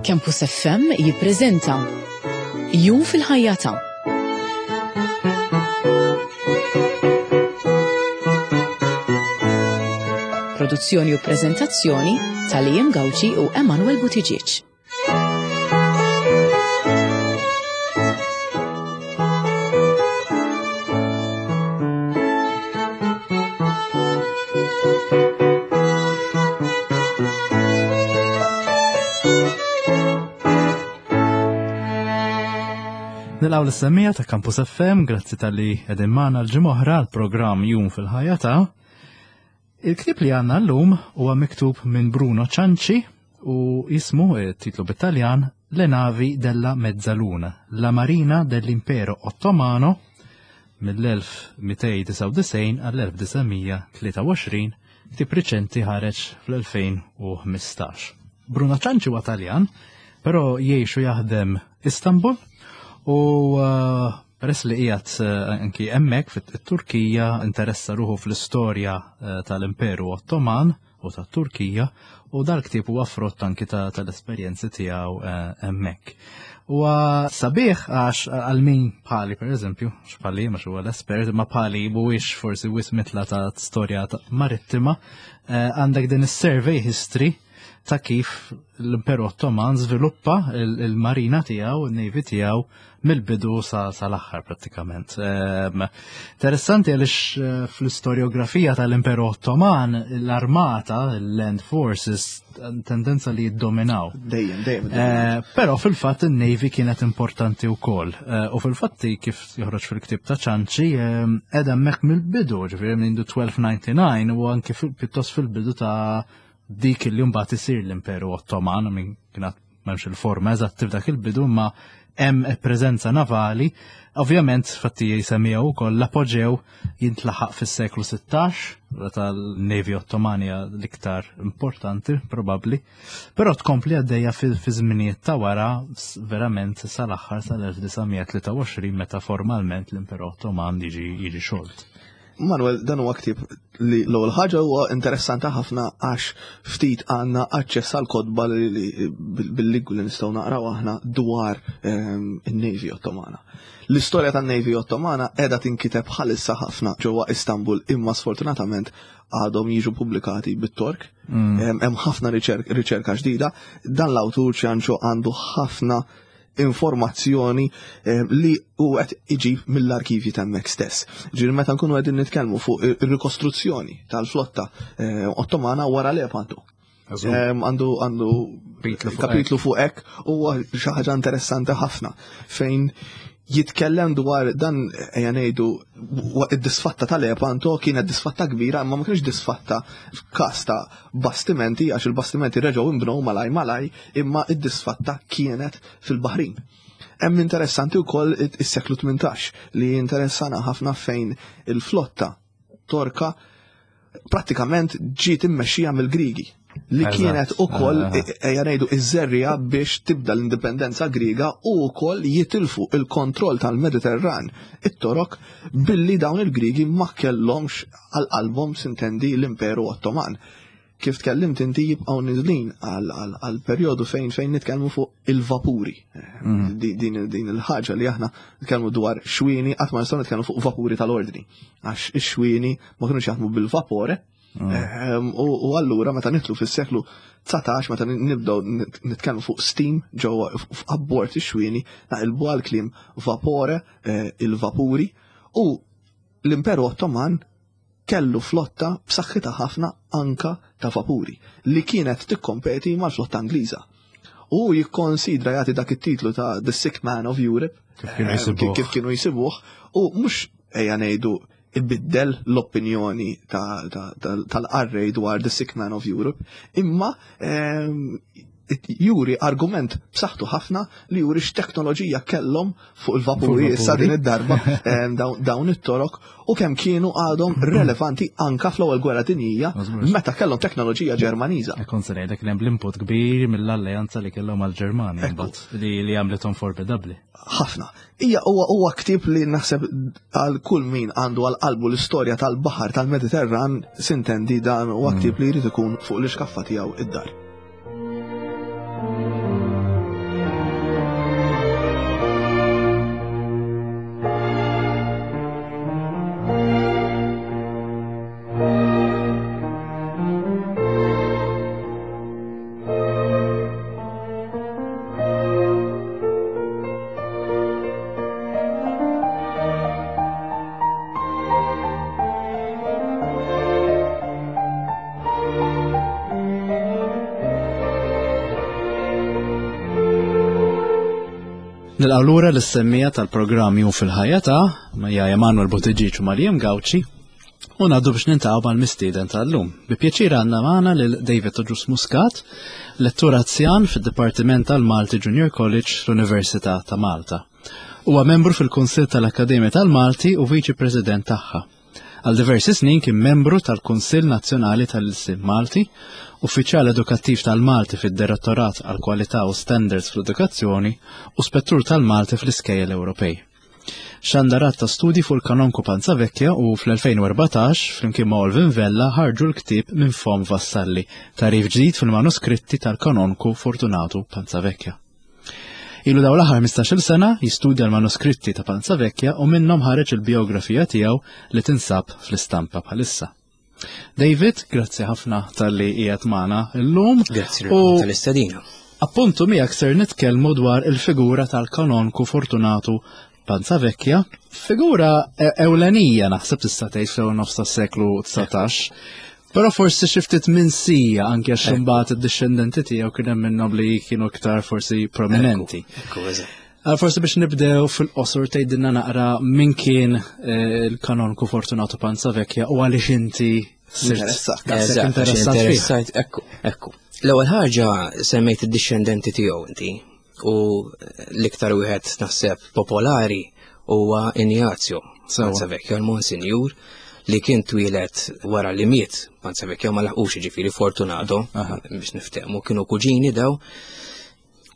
Campus FM jippreżenta Jum fil-ħajja ta' Produzzjoni u preżentazzjoni ta' Liam Gauci u Emanuel Buttigieg. Nilqaw l-semmija ta' Campus FM, grazzi tal-li edin maħna l-ġimoħra l-program Jum fil-ħajja ta' Il-ktieb li għandna llum huwa miktub minn Bruno Cianci u jismu, eh, titlu bit-Taljan, Le navi della Mezzaluna, la marina dell'impero Ottomano mill-1299 għall-1923, ktieb riċenti ħareġ fl-2015. Bruno Cianci huwa Taljan, però jgħix u jaħdem Istanbul u eh, Peress li qiegħed eh, anki hemmhekk fit-Turkija interessa ruħu fl-istorja eh, tal-Imperu Ottoman u tat-Turkija u dal-ktieb huwa frott anki tal-esperjenzi tiegħu eh, hemmhekk. Huwa sabiħ għax għal min bħali pereżempju, x'bħali mhux huwa l-espert, ma bħali mhuwiex forsi wis mitla ta' storja marittima, għandek din is-survey history ta' kif l-Imperu Ottoman żviluppa il-marina tiegħu, il-navy tiegħu mill-bidu sa l-aħħar prattikament. Ehm, interessanti għaliex eh, fl-istoriografija tal-Imperu Ottoman l-armata, l-land forces, tendenza li jiddominaw. Dejjem, dejjem. Eh, però fil-fatt il-Navy kienet importanti wkoll. Eh, u fil-fatti kif joħroġ fil-ktib ta' ċanċi, ehm, edha hemmhekk mill-bidu, ġifieri minn 1299 u anki pjuttost fil-bidu ta' dik li mbagħad isir l-Imperu Ottoman, minn kienet m'hemmx il-forma eżatt f'dak il-bidu, imma hemm preżenza navali. Ovvjament, fatti jisemmija wkoll l-apoġew jintlaħaq fis-seklu 16, tal-Navy Ottomania l-iktar importanti probabbli, però tkompli għaddejja fi żminijiet ta' wara verament sal-aħħar sal-1923 meta formalment l-Imperu Ottoman jiġi jiġi xolt. Manuel, dan huwa ktieb li l-ewwel ħaġa huwa interessanti ħafna għax ftit għandna aċċess għal kotba bil-lingwi li nistgħu naqraw aħna dwar ehm, in-Navy Ottomana. L-istorja tan-Navy Ottomana qiegħda tinkiteb bħalissa ħafna ġewwa Istanbul imma sfortunatament għadhom jiġu pubblikati bit-Tork. Mm. Ehm, hemm ħafna riċerka ġdida. Dan l-awtur ċanċo għandu ħafna informazzjoni eh, li u qed iġib mill-arkivji ta' hemmhekk stess. Ġifieri meta nkunu qegħdin nitkellmu fuq ir-rikostruzzjoni tal-flotta eh, Ottomana wara Lepanto. Eh, għandu għandu kapitlu fuq hekk huwa xi ħaġa interessanti ħafna fejn jitkellem dwar dan ejja ngħidu id-disfatta tal-Lepanto kienet disfatta kbira imma ma kienx disfatta f'każ ta' bastimenti għax il-bastimenti reġgħu inbnew malaj malaj imma id-disfatta kienet fil-Baħrin. Hemm interessanti wkoll is-seklu 18 li interessana ħafna fejn il-flotta Torka prattikament ġiet immexxija mill-Grigi li kienet ukoll ah. e, ejja ngħidu iż-żerriegħa biex tibda l-indipendenza Griega u wkoll jitilfu il-kontroll tal-Mediterran it-Torok billi dawn il-Grigi ma kellhomx għal qalbhom sintendi l-Imperu Ottoman. Kif tkellimt inti jibqgħu niżlin għal perjodu fejn fejn nitkellmu fuq il-vapuri. Mm. Din, din il-ħaġa li aħna nitkellmu dwar xwieni qatt ma nistgħu nitkellmu fuq vapuri tal-ordni. Għax ix-xwieni ma kinux jaħdmu bil-vapore, mm. ehm, u allura meta nitlu fis-seklu 19 meta nibdew nitkellmu fuq steam ġewwa abbord ix-xwieni naqilbu għal kliem vapore, eh, il-vapuri u l-Imperu Ottoman kellu flotta b'saħħitha ħafna anka ta' vapuri li kienet tikkompeti mal-flotta Ingliża. U jikkonsidra jagħti dak it-titlu ta' The Sick Man of Europe kif kienu eh, jisibuh, kif kienu jisibuh u mhux ejja ngħidu ibiddel l-opinjoni tal-qarrej dwar The Sick Man of Europe, imma ehm, juri argument b'saħħtu ħafna li juri x'teknoloġija kellhom fuq il-vapuri issa din id-darba dawn it-torok u kemm kienu għadhom relevanti anka fl-ewwel gwerra dinjija meta kellhom teknoloġija Ġermaniża. Kont se ngħidlek hemm l-input kbir mill-alleanza li kellhom għall-Ġermanja mbagħad li li għamlithom formidabbli. Ħafna. Hija huwa huwa ktieb li naħseb għal kull min għandu għal qalbu l-istorja tal-baħar tal-Mediterran sintendi dan huwa ktieb li jrid ikun fuq l-iskaffa tiegħu id-dar. Nilqgħu lura lis-semmija tal-programm Jum fil-Ħajja ta' Majja Emanuel Buttigieg u Mariam Gauci u ngħaddu biex nintaqgħu mal-mistieden tal-lum. Bi pjaċir għandna magħna lil David Oġus Muscat, lettur anzjan fid-Dipartiment tal-Malti Junior College l-Università ta' Malta. Huwa membru fil-Kunsill tal-Akkademja tal-Malti u Viċi President tagħha. Għal diversi snin kien membru tal-Kunsill Nazzjonali tal-Ilsien Malti, uffiċjal edukattiv tal-Malti fid-Direttorat għall-Kwalità u Standards fl-Edukazzjoni u spettur tal-Malti fl-Iskejjel Ewropej. Xandar għadd ta' studji fuq il-Kanonku Panzavecchia u fl-2014, flimkien ma' Olvin Vella, ħarġu l-ktieb Minn Fomm Vassalli, tagħrif ġdid fil-manuskritti tal-Kanonku Fortunatu Panzavecchia. Ilu daw l-aħħar 15-il sena jistudja l-manuskritti ta' Panzavecchia u minnhom ħareġ il-biografija tiegħu li tinsab fl-istampa bħalissa. David, grazzi ħafna tal-li qiegħed magħna llum. Grazzi tal-istedina. Appuntu miegħek ser nitkellmu dwar il-figura tal-kanonku Fortunatu Panzavecchia, figura e- ewlenija naħseb tista' tgħid fl-ewwel nofs tas-seklu 19. Però forsi xi ftit minsija anke għax imbagħad id-dixxendenti tiegħu kien hemm minnhom li kienu iktar forsi prominenti. Għal forsi biex nibdew fil-qosor tgħidilna naqra min kien eh, il-kanonku Fortunato Panzavecchia u għaliex inti sirt interessat. Ekku, ekku. L-ewwel ħaġa semmejt id-dixxendenti tiegħu inti u l-iktar wieħed naħseb popolari huwa Ignazio Panzavecchio, l-Monsinjur li kien twieled wara li miet Panzavecchio ma laħqux ġifieri Fortunato biex niftehmu kienu kuġini daw.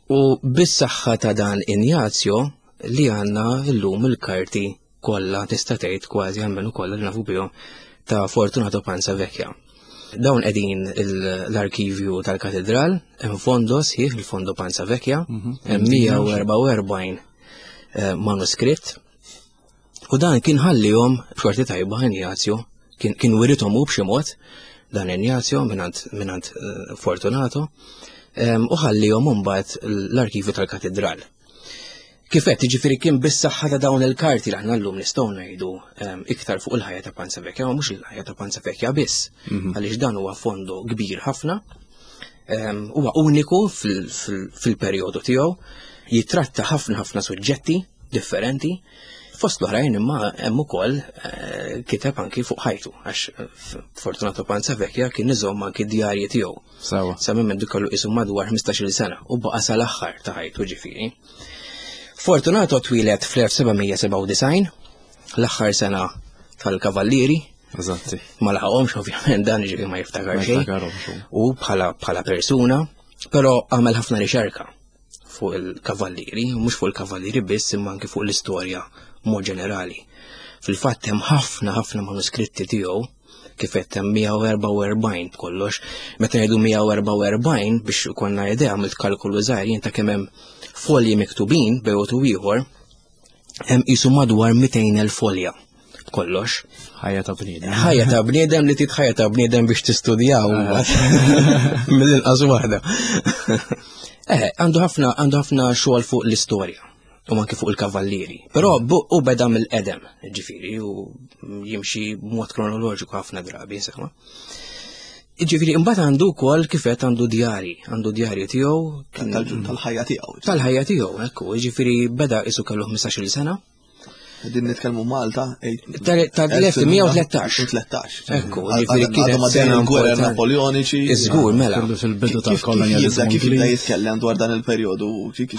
U bis-saħħa ta' dan Ignazio li għandna llum il-karti kollha tista' tgħid kważi għalmenu kollha li nafu bihom ta' Fortunato Panzavecchia. Dawn qegħdin l-arkivju tal-katedral, hemm fondo sħiħ il-fondo Panzavecchia, hemm 144 eh, manuskritt. U dan kien ħallihom b'xorti tajba Ignazio, kien, kien wirithom hu b'xi mod dan Ignazio minant, minant eh, Fortunato, u ħallihom imbagħad l-arkivju tal-katedral. Kif qed jiġifieri kien bis-saħħa ta' dawn il-karti li aħna llum nistgħu ngħidu ehm, iktar fuq il-ħajja ta' Panzavecchia, ma mhux il-ħajja ta' Panzavecchia biss, mhm. għaliex dan huwa fondo kbir ħafna, ehm, huwa uniku fil-perjodu tiegħu, jitratta ħafna ħafna suġġetti differenti, fost l-oħrajn imma hemm ukoll eh, kiteb anki fuq ħajtu għax eh, Fortunato Panzavecchia kien iżomm anki djarji tiegħu. Sawa. Sa minn mendu kellu qisu madwar 15-il sena u baqa' sal-aħħar ta' ħajtu ġifieri. Fortunato twieled fl-1797, l-aħħar sena tal-Kavallieri. Eżatti. Ma laħaqhomx ovvjament dan ġifieri ma jiftakar xejn. U bħala bħala persuna, però għamel ħafna riċerka fuq il-kavallieri, mhux fuq il-kavallieri biss imma anki fuq l-istorja mod ġenerali. Fil-fatt hemm ħafna ħafna manuskritti tiegħu kif qed hemm 144 b'kollox. Meta ngħidu 144 biex ikollna idea għamilt kalkolu żgħir jien ta' kemm hemm folji miktubin bejn u ieħor, hemm qisu madwar 200,000 folja b'kollox. Ħajja ta' bniedem. Ħajja ta' bniedem li tit ħajja ta' bniedem biex tistudjaw ah. mill-inqas waħda. Eh, għandu ħafna għandu ħafna xogħol fuq l-istorja u anke fuq il-kavallieri. Però u beda mill-qedem, ġifieri, u jimxi b'mod kronoloġiku ħafna drabi, insomma. Ġifieri, imbagħad għandu wkoll kif qed għandu djari, għandu djarji tiegħu. Tal-ħajja tiegħu. Tal-ħajja tiegħu, ekku, ġifieri beda isu kellu 15-il sena. Din nitkellmu Malta. Tal-1913. 13. Ekku, ġifieri kienet sena gwerra Napoleoniċi. Iżgur, mela. Fil-bidu tal-kolonjalizmu. Kif jibda jitkellem dwar dan il-perjodu?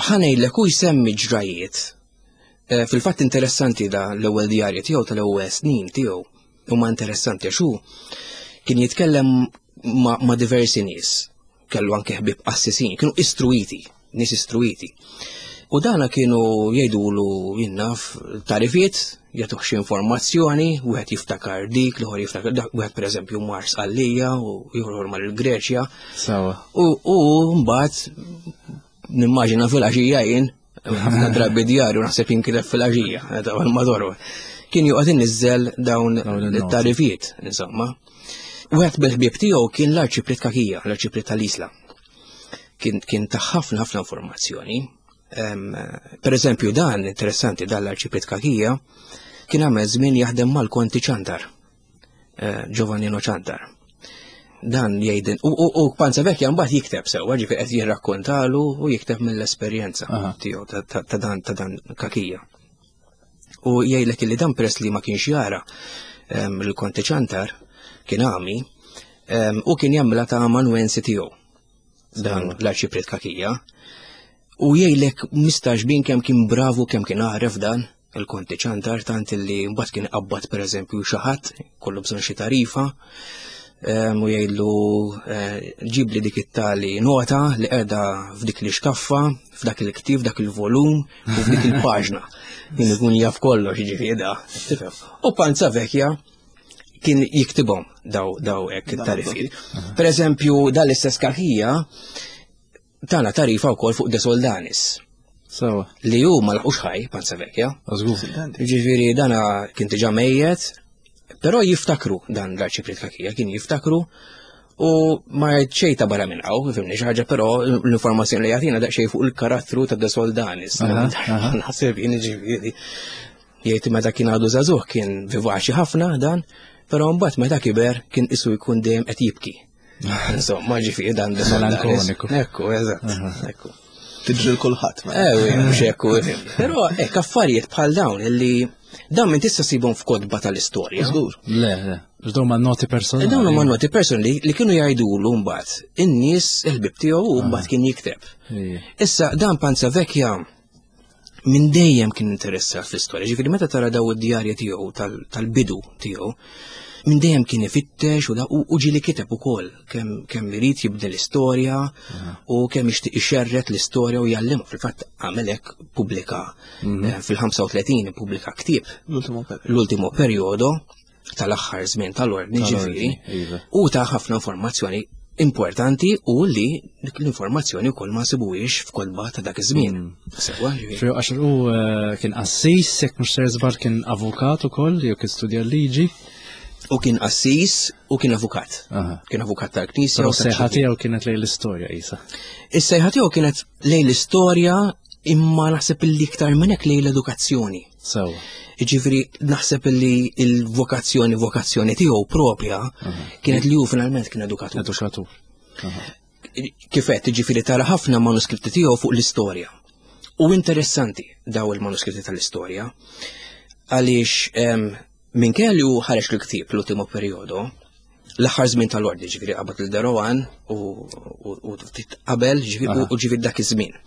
Ħanejlek u jsemmi ġrajiet. Eh, fil-fatt interessanti da l-ewwel djarji tiegħu tal-ewwel snin tiegħu huma interessanti għax hu kien jitkellem ma' diversi nies kellu anke ħbieb qassisin, kienu istruiti, nies istruiti. U dana kienu jgħidulu jinnaf tarifiet, jagħtuh xi informazzjoni, wieħed jiftakar dik, l-ieħor jiftakar dak, wieħed pereżempju mar Sqallija u ieħor mar il-Greċja. Sawa. U mbagħad nimmaġina fil-għaxija jien, ħafna drabi djarju naħseb jinkiteb fil-għaxija, meta madwar. Kien joqgħod inniżżel dawn it-tarifiet, insomma. Wieħed mill-ħbieb tiegħu kien l-Arċipriet Kakija, l-Arċipriet tal-Isla. Kien, kien ta' ħafna ħafna informazzjoni. Per eżempju, dan interessanti dan l-Arċipriet Kakija kien għamel żmien jaħdem mal-Konti Ċantar, eh, Giovannino Ċantar. Dan jgħidin, u Panza Vecchia mbagħad jikteb sewwa, ġifieri qed jirrakkontalu u jikteb mill-esperjenza tiegħu ta' dan ta' dan kakija. U jgħidlek li dan peress li ma kienx jara il-Konti Ċantar kien għami u kien jagħmilha ta' amanuensi tiegħu dan l-arċipriet kakija. U jgħidlek mistaġbin kemm kien bravu kemm kien għaref dan il-Konti Ċantar tant li mbagħad kien qabbad pereżempju xi ħadd kollu bżonn xi tarifa u jgħidlu eh, ġibli dik it-tali nota li qiegħda f'dik li xkaffa, f'dak il-ktieb, f'dak il-volum u f'dik il-paġna. Kien ikun jaf kollox jiġifieri da. Tifhem. U Panza Vecchia kien jiktibhom daw daw hekk it-tarifi. Per eżempju, dal-istess kakija tana tarifa wkoll fuq De Soldanis. Sewa. Li hu ma laqux ħaj, Panza Vecchia. Żgur. Ġifieri dana kien diġà mejjet, però jiftakru dan l-arċipriet Kakija kien jiftakru u ma xejn ta' barra minn hawn, fimni xi ħaġa, però l-informazzjoni li jagħtina daqsxejn fuq il-karattru ta' De Soldanis. Naħseb jien ġifieri jgħid meta kien għadu żagħżugħ kien vivaċi ħafna dan, però mbagħad meta kiber kien isu jkun dejjem qed jibki. Insomma, ġifieri dan Melankoniku. Ekku, eżatt. Ekku. Tiġri l-kulħadd. Ewi, mhux ekku. Però hekk affarijiet bħal dawn illi dawn minn tista' sibhom f'kotba tal-istorja. Żgur. Le, le. Dawn ma noti personali. Dawn huma noti personali li kienu jgħidulu mbagħad in-nies il-ħbib tiegħu u mbagħad kien jikteb. Issa dan Panza Vecchia minn dejjem kien interessat fl-istorja, ġifieri meta tara daw id-djarja tiegħu tal-bidu tiegħu, minn dejjem kien ifittex u u ġieli kiteb ukoll kemm kemm irid jibni l-istorja u kemm jixtieq ixerret l-istorja u jgħallimha. Fil-fatt għamel hekk pubblika mhm. eh, fil-35 pubblika ktieb l-ultimo perjodo tal-aħħar żmien tal-ordni ġifieri iva. u ta' ħafna informazzjoni importanti u li l-informazzjoni wkoll ma nsibuhiex f'kotba ta' dak iż-żmien. Mm. Sewwa ġifieri. Għax hu eh, kien qassis, jekk mhux ser żbar kien avukat ukoll jew kien studja l-liġi. U kien qassis u kien avukat. Kien avukat tal-Knisja. Però s-sejħa tiegħu kienet lejn l-istorja isa. Is-sejħa tiegħu kienet lejn l-istorja imma naħseb li iktar minn hekk lejn l-edukazzjoni. Sewa. Jiġifieri naħseb li l-vokazzjoni vokazzjoni tiegħu propja kienet li hu finalment kien edukatur. Edukatur. Kif qed jiġifieri tara ħafna manuskritti tiegħu fuq l-istorja. U interessanti daw il-manuskritti tal-istorja għaliex minkejja li hu ħareġ l-ktieb l-ultimo periodo, l-aħħar żmien tal-ordi ġifieri qabad il Derowan u ftit qabel u ġifieri dak iż-żmien.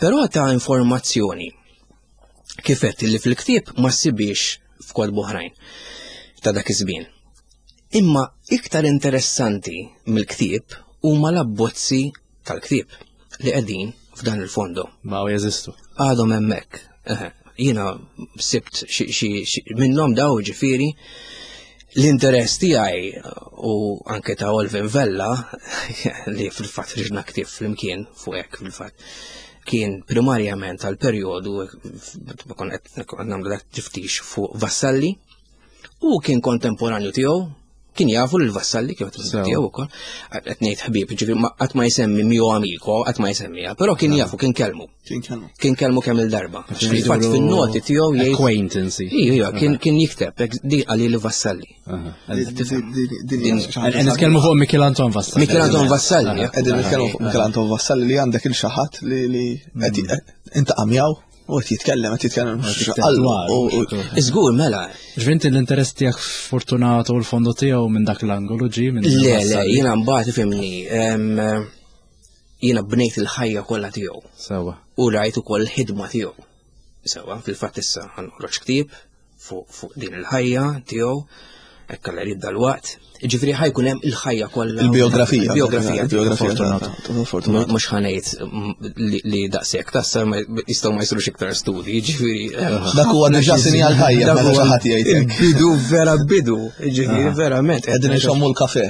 Però ta' informazzjoni kif qed li fil-ktieb ma ssibiex f'kotb oħrajn ta' dak iż-żmien. Imma iktar interessanti mill-ktieb huma l-abbozzi tal-ktieb li qegħdin f'dan il-fondo. Ma jeżistu. Għadhom hemmhekk. Jiena sibt xi minnhom daw ġifieri l-interess tiegħi u anke ta' Olvin Vella li fil-fatt riġna ktieb flimkien fuq hekk fil-fatt kien primarjament għal perjodu kon qed nagħmlu dak tiftix fuq Vassalli u kien kontemporanju tiegħu kien jafu lil Vassalli kif qed tiegħu ukoll qed ngħid ħbieb, ġifieri qatt ma jsemmi mio amico, qatt ma jsemmiha, però kien jafu kien kelmu. Kien kelmu. Kien kelmu kemm il-darba. Fil-fatt fin-noti tiegħu jgħid acquaintance. Ija, kien kien jikteb di għalli li Vassalli. Nitkellmu fuq Michel Anton Vassalli. Michel Anton Vassalli. Qegħdin nitkellmu fuq Michel Anton Vassalli li għandek il xi ħadd li inta qamjaw u qed jitkellem qed jitkellem Iżgur mela. Ġvinti l-interess tiegħek Fortunato u l-fondo tiegħu minn dak l-angolu ġi minn Le, le, jiena mbagħad ifhimni jiena bnejt il-ħajja kollha tiegħu. Sewa. U rajt ukoll il-ħidma tiegħu. Sewa, fil-fatt issa ħanħroġ ktieb fuq din il-ħajja tiegħu, hekk alla jrid dal-waqt. Ġifieri ħajkun hemm il-ħajja kollha. Il-biografija. Il-biografija. Il-biografija. Fortunato. Mhux ħanejt li daqshekk tassa jistgħu ma jsirux iktar studji, ġifieri. Dak huwa diġà sinjal tajjeb meta xi ħadd jgħid hekk. Bidu vera bidu, ġifieri verament. Qegħdin inxommu l-kafe.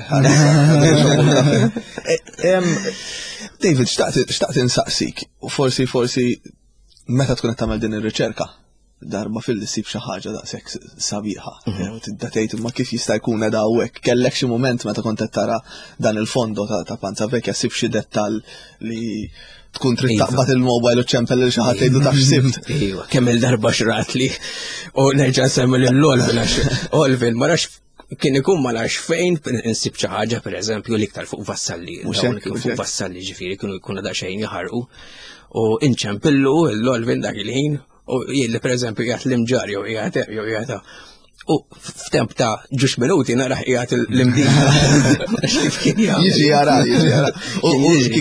David, xtaqt insaqsik, forsi forsi meta tkun qed tagħmel din ir-riċerka, darba fil ssib xi ħaġa daqshekk sabiħa. Mhm. Tibda tgħid imma kif jista' jkun qed hawnhekk. Kellek xi mument meta kont qed tara dan il-fondo ta' Panza Vecchia ssib xi dettall li tkun trid Iva. taqbad il-mobile u ċempel lil xi ħadd tgħidu taf x'sibt. Iva, kemm il-darba xratli u nerġa' nsemmi lil Olvin għax Olvin ma nafx Kien ikun ma nafx fejn insib xi ħaġa pereżempju l-iktar fuq Vassalli. Fuq Vassalli ġifieri kienu jkunu daqsxejn jaħarqu u inċempillu l-Olvin dak il-ħin u jien li pereżempju qiegħed l-imġar jew qiegħed jew qiegħed U f'temp ta' ġux minuti naraħ qiegħed l-imdina. Jiġi jara, jiġi jara. U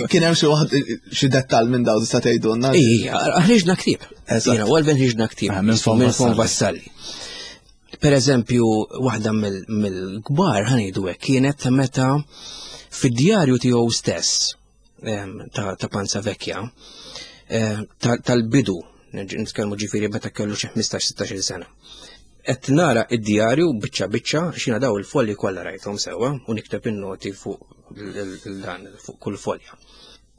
kien hemm xi waħd xi dettall minn dawn tista' tgħidulna. Ija, ħriġna ktieb. Jiena u Alvin ħriġna ktieb. Ah, minn Fon Vassalli. Per eżempju, waħda mill-kbar ħanidu hekk kienet ta' meta fid-djarju tiegħu stess ta' Panza Vecchia tal-bidu, nitkellmu ġifieri meta kellu xi 15-16 sena. Qed nara id-djarju biċċa biċċa xina daw il-folji kollha rajthom sewwa u nikteb in-noti fuq dan fuq kull folja.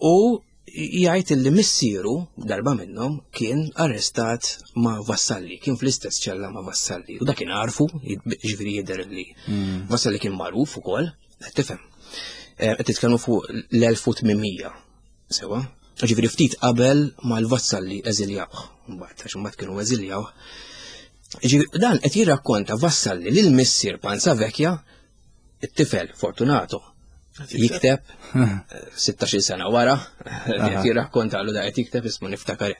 U jgħid li missieru darba minnhom kien arrestat ma' Vassalli, kien fl-istess ċella ma' Vassalli. U dak kien għarfu, ġifieri jidher li hmm. Vassalli kien magħruf ukoll, qed tifhem. Eh, qed titkellmu fuq l-1800, sewa. Ġifieri ftit qabel ma l-Vassalli eżiljawh, mbagħad għax imbagħad kienu eżiljawh. Ġifieri dan qed jirrakkonta Vassalli lil missier Panza Vecchia it-tifel Fortunato jikteb 16 eh, sena wara, qed jirrakkontalu da qed jikteb ismu niftakar.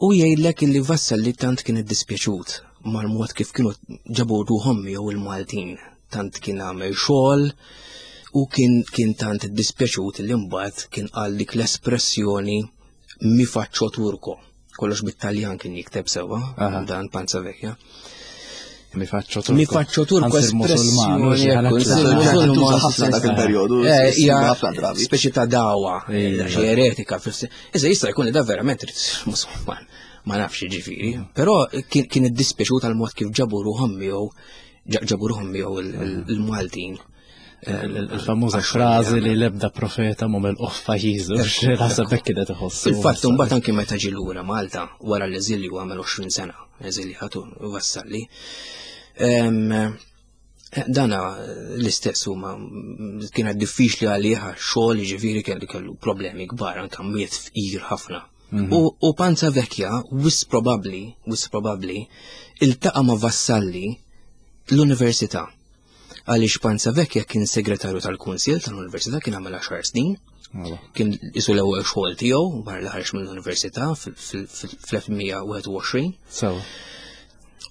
U jgħidlek illi Vassalli tant kien iddispjaċut mal-mod kif kienu ġabu ruħhom jew il-Maltin, tant kien għamel xogħol u kien kien tant iddispjaċut li mbagħad kien qal dik l-espressjoni mi faccio turko. Kollox bit-Taljan kien jikteb sewwa, dan Panza Vecchia. Mi faccio turko. Mi faccio turko espressjoni. ħafna dak il-perjodu. Eh, ħafna drabi. Speċi ta' dawa, xi eretika. Iżda jista' jkun li da verament musulman. Ma nafx ġifieri, però kien iddispjaċut għal mod kif ġabu ruħhom miegħu ġabu ruħhom miegħu il-Maltin. Il-famuża frażi li l-ebda profeta mu mill-qoffa jiżu, naħseb hekk kienet iħossu. Fil-fatt imbagħad anke meta ġie lura Malta wara l-eżilju għamel 20 sena, eżiljatu Vassalli. Dana l-istess huma kienet diffiċli għalih xogħol jiġifieri kellu kellu problemi kbar anke miet fqir ħafna. Mhm. U Panza Vecchia, wis probabbli, wis probabbli, iltaqa' ma' Vassalli l-università. Għaliex Panza Vecchia kien segretarju tal-Kunsil tal-Università kien għamel 10 snin. Kien isu l-ewwel xogħol tiegħu wara li ħareġ mill-Università fl-1921.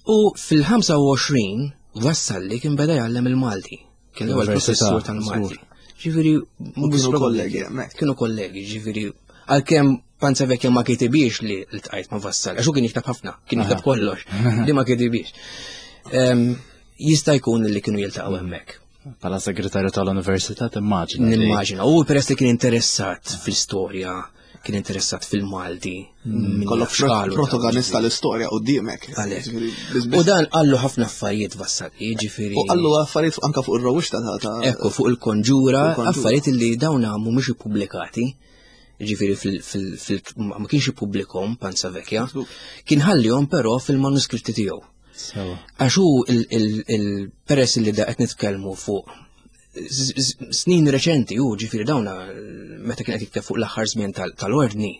U fil-25 Vassalli kien beda jgħallem il-Malti. Kien l-ewwel professur tal-Malti. Ġifieri kienu kollegi hemmhekk. Kienu kollegi, ġifieri għalkemm Panza Vecchia ma kitibiex li l-tqajt ma' Vassalli, għax hu kien jikteb ħafna, kien jikteb kollox, li ma kitibiex. Jista' jkun li kienu jiltaqgħu hemmhekk. Bħala segretarju tal-università timmaġina. Nimmaġina. U peress li kien interessat fl-istorja, kien interessat fil-Malti. Mm, Kollok protagonista l-istorja qudiemek. U dan qallu ħafna affarijiet Vassalli, jiġifieri. U qallu affarijiet anka fuq ir-rewwixta ta' Ekku fuq il-konġura, affarijiet li dawn mhumiex ippubblikati ġifiri fil ma kienx ippubblikhom Panza Vecchia, kien ħallihom però fil-manuskritti tiegħu. Għax hu il-peress li da qed nitkellmu fuq snin reċenti u ġifieri dawna meta kien qed jikteb fuq l-aħħar żmien tal-ordni,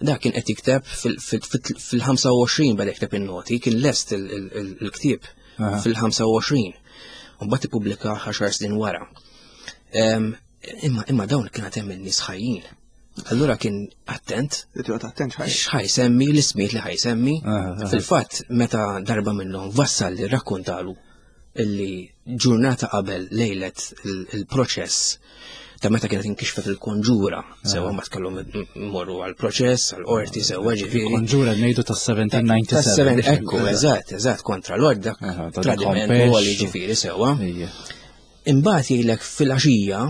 da kien qed jikteb fil-25 beda jikteb in-noti, kien lest il-ktieb fil-25. U mbagħad ippubblika 10 snin wara. Imma imma dawn kien hemm in-nies ħajjin. Allura kien attent. Attent x'ħaj semmi l-ismijiet li ħaj semmi. Fil-fatt meta darba minnhom vassal li rakkontalu illi ġurnata qabel lejlet il-proċess ta' meta kienet inkixfet il-konġura, sewa ma tkellhom morru għal-proċess, għal-qorti, sewa ġifieri. Konġura ngħidu tas-1797. Ekku, eżatt, eżatt, kontra l-orda, tradiment u ġifieri sewa. Imbagħad jgħidlek filgħaxija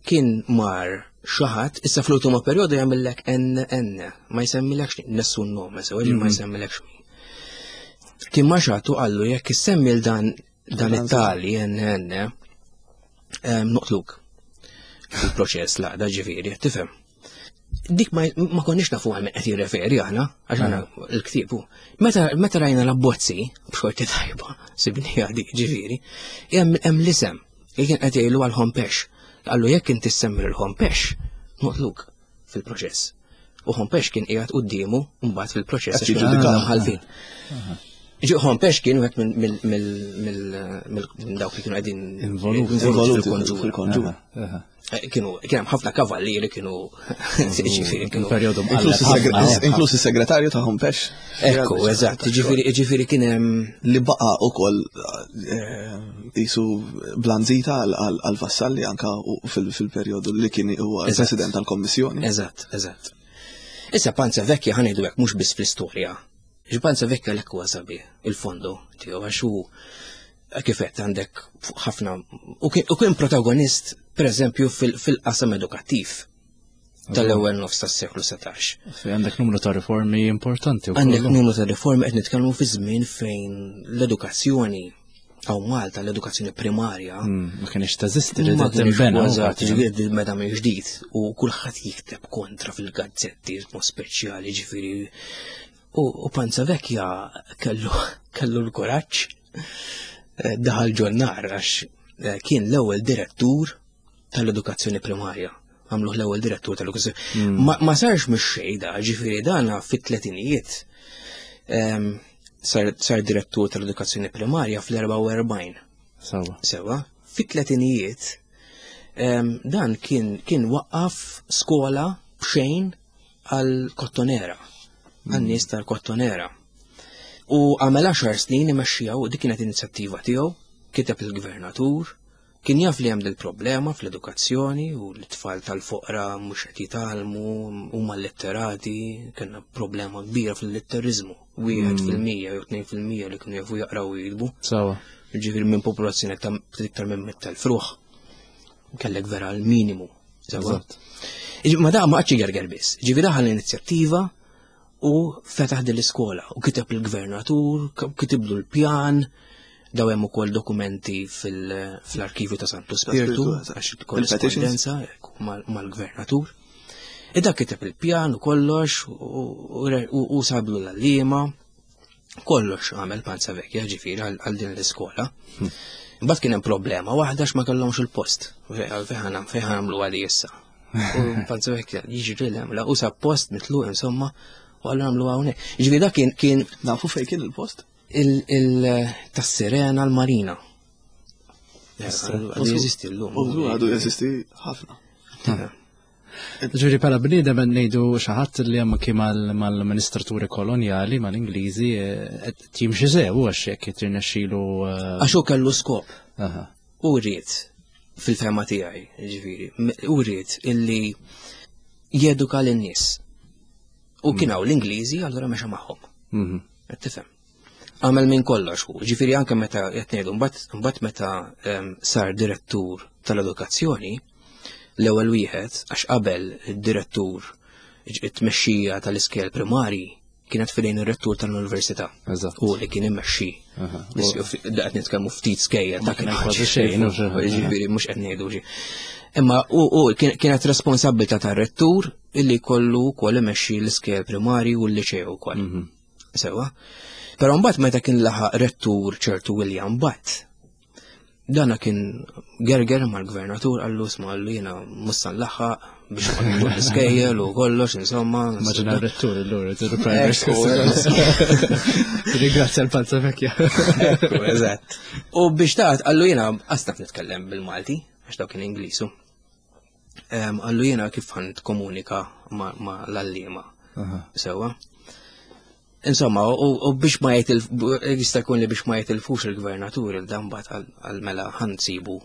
kien mar xi ħadd, issa fl-ultimo perjodu jagħmillek NN, ma jsemmilekx nessun nome, sewa ma mhm. jsemmilekx min. Kien ma xagħtu qallu jekk issemmi l dan dan it-tali NN noqtluk. Il-proċess laqda ġifieri, tifhem. Dik ma, ma konniex nafu għal qed jirreferi aħna, għax aħna mm. l-ktieb Meta meta rajna l-abbozzi, b'xorti tajba, sibni dik ġifieri, hemm l-isem li kien qed jgħidu għal Hompex. Qallu jekk inti semmi lil Hompex, noqtluk fil-proċess. U Hompex kien qiegħed quddiemu mbagħad fil-proċess għax kienu mħalfin. Hompex kien wieħed minn dawk li kienu qegħdin involuti fil-konġura. Eh, kienu kien hemm ħafna kavallieri kienu ġifieri kienu perjodu Inkluż is-segretarju ta' Hompex. Ekku, eżatt, ġifieri kien hemm li baqa' ukoll eh, isu blanzita għal Vassalli anka fil-perjodu li kien huwa president tal-Kommissjoni. Eżatt, eżatt. Issa Panza Vecchia ħanejdu hekk mhux biss fl-istorja. Panza Vecchia l huwa sabiħ il-fondo tiegħu għax hu kif qed għandek ħafna u kien protagonist pereżempju fil-qasam edukattiv tal-ewwel nofs tas-seklu 17. Fej għandek numru ta' riformi importanti. Għandek numru ta' riformi qed nitkellmu fi żmien fejn l-edukazzjoni għaw Malta l-edukazzjoni primarja. Hmm, ma kienx teżisti li tinbena. Eżatt, ġifieri meta minn ġdid u kulħadd jikteb kontra fil-gazzetti mod speċjali ġifieri U Panza Vecchia kellu kellu l-kuraġġ eh, daħal ġonnar għax eh, kien l-ewwel direttur tal-edukazzjoni primarja. Għamluh l-ewwel direttur tal-edukazzjoni. Hmm. Ma, ma sarx mhux xejda, ġifieri dana fit-tletinijiet ehm, sar, sar direttur tal-edukazzjoni primarja fl-44. Sewa. Sewa. Fit-tletinijiet ehm, dan kien kien waqqaf skola b'xejn għall-Kottonera, għan-nies tal-Kottonera. U għamel 10 snin imexxiha u dik kienet inizjattiva tiegħu, kiteb il-gvernatur, kien jaf li hemm dil-problema fl-edukazzjoni u l-tfal tal-foqra mhux qed jitgħallmu huma litterati, kellna problema kbira fil-litteriżmu, wieħed hmm. fil-mija jew tnejn fil-mija li kienu jafu jaqraw u jiktbu. Sawa. Ġifieri minn popolazzjoni ta' iktar minn mittel fruħ. Kellek vera l-minimu. Eżatt. Ma da ma qatx gerger biss. Ġifi daħal l-inizjattiva u fetaħ din l-iskola u kiteb il-gvernatur, kitiblu l-pjan, daw hemm ukoll dokumenti fil-arkivju ta' Santu Spirtu, għax korrespondenza mal-gvernatur. Ida kiteb il-pjan u kollox u sablu l-għalliema Kollox għamel Panza Vecchia ġifieri għal din l-iskola. Hmm. Imbagħad kien hemm problema waħda ma kellhomx il-post. Fejn fejn għamlu għali issa. U Panza Vecchia jiġri l u sa post mitlu insomma u għallu għamlu hawnhekk. Ġifieri dak kien kien Nafu fejn kien il-post? Il-tas-Sirena l-Marina. Għadu jeżisti l-lum. Għadu jeżisti ħafna. Ġuri pala bniedem qed ngħidu xi ħadd li hemm kien mal-amministraturi kolonjali mal-Ingliżi eh, qed jimxi sew għax jekk qed jirnexxilu. Eh, għax hu kellu skop. U rrid fil-fema tiegħi, ġifieri, u rrid illi jeduka lin-nies. U kien hawn l-Ingliżi allura mexa magħhom. Mhm. Qed tifhem. Għamel minn kollox hu, ġifieri anke meta qed ngħidu mbagħad meta ehm, sar direttur tal-edukazzjoni, l-ewwel wieħed għax qabel id-direttur it-tmexxija tal-iskejjel primari kienet fidejn ir-rettur tal-università. U li kien immexxi. Qed nitkellmu ftit skejjel ta' kien kważi xejn. Ġifieri mhux qed ngħidu xi. Imma u kienet responsabbiltà tar-rettur illi kollu wkoll imexxi l-iskejjel primari u l-liċew ukoll. Mhm. Sewa. Però mbagħad meta kien laħaq rettur ċertu William Butt, dana kien gerger mal-gvernatur għallu sma għallu jena mussan laħaq biex l-iskejjel u kollox, insomma. Maġina rettur l-lura, primary school. Ringrazzja l-palza vekja. Eżatt. U biex taħt għallu jena għastaf nitkellem bil-Malti, għax daw kien Inglisu. Għallu jena kif għan komunika ma l-allima. Sewa. Insomma, u biex ma jitil, jista' jkun li biex ma jitilfux il-gvernatur il-dan bat għal-mela ħansibu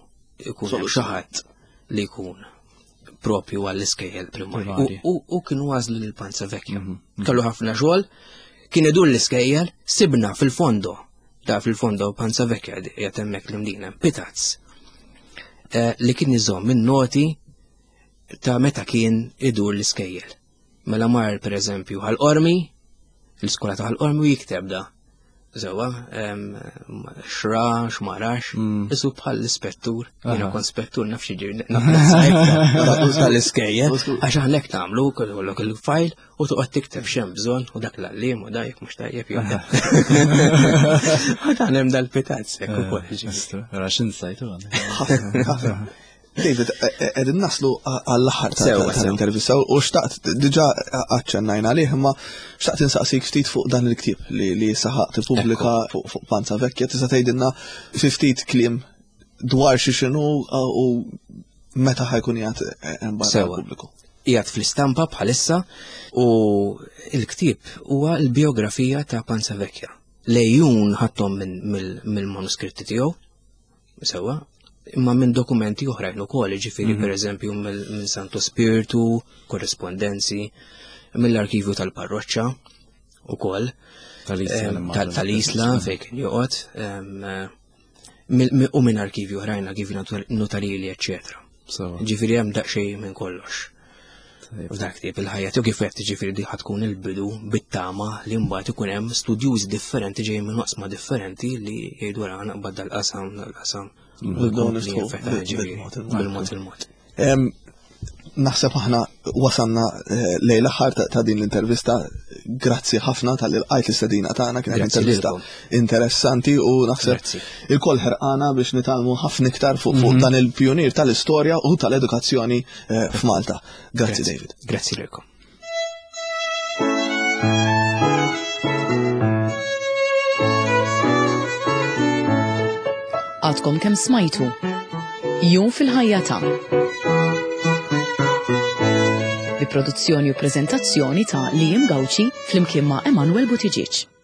ikun xi ħadd li jkun propju għall-iskejjel primarji. U kienu għażlu lil Panza Vecchia. Mhm, mhm. Kellu ħafna xogħol, kien idur l-iskejjel, sibna fil-fondo, da fil-fondo Panza Vecchia qiegħed hemmhekk l-imdina, Pitazz. Eh, li kien iżomm in-noti ta' meta kien idur l-iskejjel. Mela mar per eżempju ħal-qormi, l-iskola ta' ħal-qormi u jikteb da. Sewa, xra, xmarax, mm. isu bħal l-ispettur, jiena kon spettur naf xi ġiri, naf tal-iskejjel, għax aħna hekk nagħmlu kollok il-fajl u toqgħod tikteb x'hemm bżonn u dak l-għalliem u dak mhux tajjeb jew. Dan hemm dal-pitazz hekk ukoll. Ra x'insajtu. David, e, e, qegħdin naslu għall-aħħar tal-intervista u xtaqt diġà aċċennajna għalih imma xtaqt insaqsik ftit fuq dan il-ktieb li saħaq tippubblika fuq Panza Vecchia tista' tgħidilna fi ftit kliem dwar xi x'inhu u meta ħajkun qiegħed e, barra pubbliku. Qiegħed fl-istampa bħalissa u l-ktieb huwa l-biografija ta' Panza Vecchia. Lejjun ħadthom mill-manuskritti tiegħu Sewa, imma minn dokumenti oħrajn ukoll, ġifieri mm -hmm. pereżempju minn Santo Spiritu, korrespondenzi, mill-arkivju tal-parroċċa ukoll. Tal-Isla fejn kien joqgħod, u minn arkivju oħrajn, arkivju notarili, eċċetera. Ġifieri hemm daqsxejn minn kollox. F'dak tip il-ħajja tiegħu kif qed ġifieri di tkun il-bidu bit-tama li mbagħad ikun hemm studjużi differenti ġejjin minn oqsma differenti li jgħidu ra naqbad dal-qasam dal-qasam. Bil-mod il-mod. Naħseb aħna wasanna eh, lejn l-aħħar ta' din l-intervista. Grazzi ħafna tal lqajt l-istedina tagħna kienet intervista interessanti u naħseb il-koll ħerqana biex nitalmu ħafna iktar fuq mhm. dan il-pjunier tal-istorja u tal-edukazzjoni eh, f'Malta. Grazzi David. Grazzi lilkom. Għadkom kemm smajtu. Jum fil-ħajja ta' bi produzzjoni u preżentazzjoni ta' Liam Gauci flimkien ma' Emanuel Buttigieg.